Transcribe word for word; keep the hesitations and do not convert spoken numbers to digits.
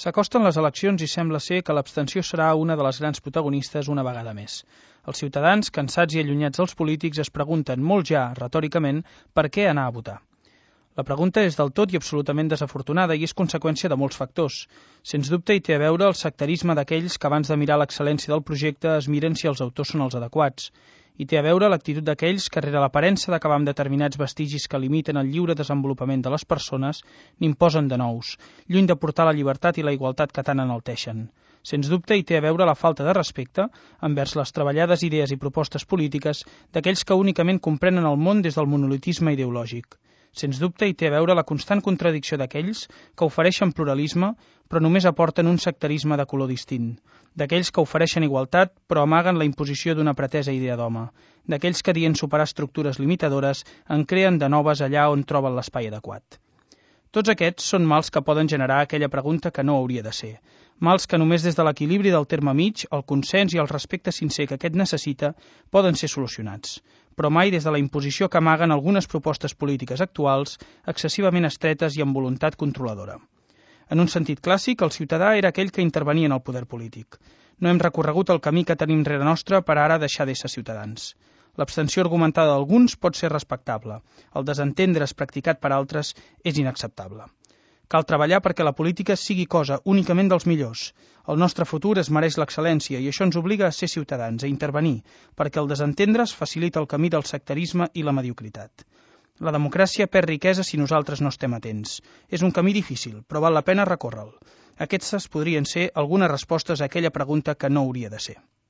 S'acosten les eleccions i sembla ser que l'abstenció serà una de les grans protagonistes una vegada més. Els ciutadans, cansats i allunyats dels polítics, es pregunten molt ja, retòricament, per què anar a votar. La pregunta és del tot i absolutament desafortunada i és conseqüència de molts factors. Sens dubte hi té a veure el sectarisme d'aquells que abans de mirar l'excel·lència del projecte es miren si els autors són els adequats. Hi té a veure l'actitud d'aquells que, rere l'aparença d'acabar amb determinats vestigis que limiten el lliure desenvolupament de les persones, n'imposen de nous, lluny de portar la llibertat i la igualtat que tant enalteixen. Sens dubte hi té a veure la falta de respecte envers les treballades idees i propostes polítiques d'aquells que únicament comprenen el món des del monolitisme ideològic. Sens dubte hi té a veure la constant contradicció d'aquells que ofereixen pluralisme però només aporten un sectarisme de color distint, d'aquells que ofereixen igualtat però amaguen la imposició d'una pretesa idea d'home, d'aquells que dient superar estructures limitadores en creen de noves allà on troben l'espai adequat. Tots aquests són mals que poden generar aquella pregunta que no hauria de ser, mals que només des de l'equilibri del terme mig, el consens i el respecte sincer que aquest necessita poden ser solucionats, però mai des de la imposició que amaguen algunes propostes polítiques actuals excessivament estretes i amb voluntat controladora. En un sentit clàssic, el ciutadà era aquell que intervenia en el poder polític. No hem recorregut el camí que tenim rere nostre per ara deixar d'ésser ciutadans. L'abstenció argumentada d'alguns pot ser respectable. El desentendre's practicat per altres és inacceptable. Cal treballar perquè la política sigui cosa únicament dels millors. El nostre futur es mereix l'excel·lència i això ens obliga a ser ciutadans, a intervenir, perquè el desentendre's facilita el camí del sectarisme i la mediocritat. La democràcia perd riquesa si nosaltres no estem atents. És un camí difícil, però val la pena recórrer-lo. Aquestes podrien ser algunes respostes a aquella pregunta que no hauria de ser.